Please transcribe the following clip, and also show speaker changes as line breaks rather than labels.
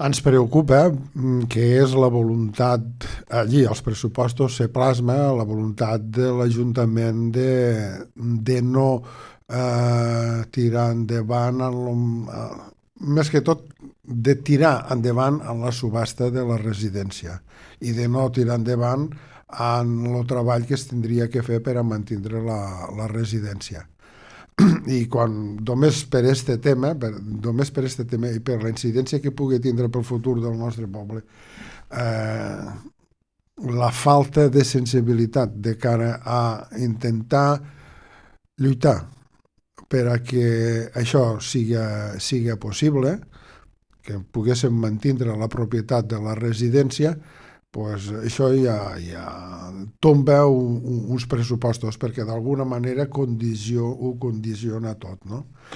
Ens preocupa que és la voluntat, allí als pressupostos se plasma la voluntat de l'Ajuntament de no tirar endavant, més que tot, de tirar endavant en la subhasta de la residència i de no tirar endavant en el treball que es tindria que fer per a mantenir la residència. I quan només per este tema, només per este tema i per la incidència que pugui tindre pel futur del nostre poble, eh, la falta de sensibilitat de cara a intentar lluitar per a que això siga possible, que poguéssim mantenir la propietat de la residència, pues això ja tomba uns pressupostos perquè d'alguna manera ho condiciona tot, no?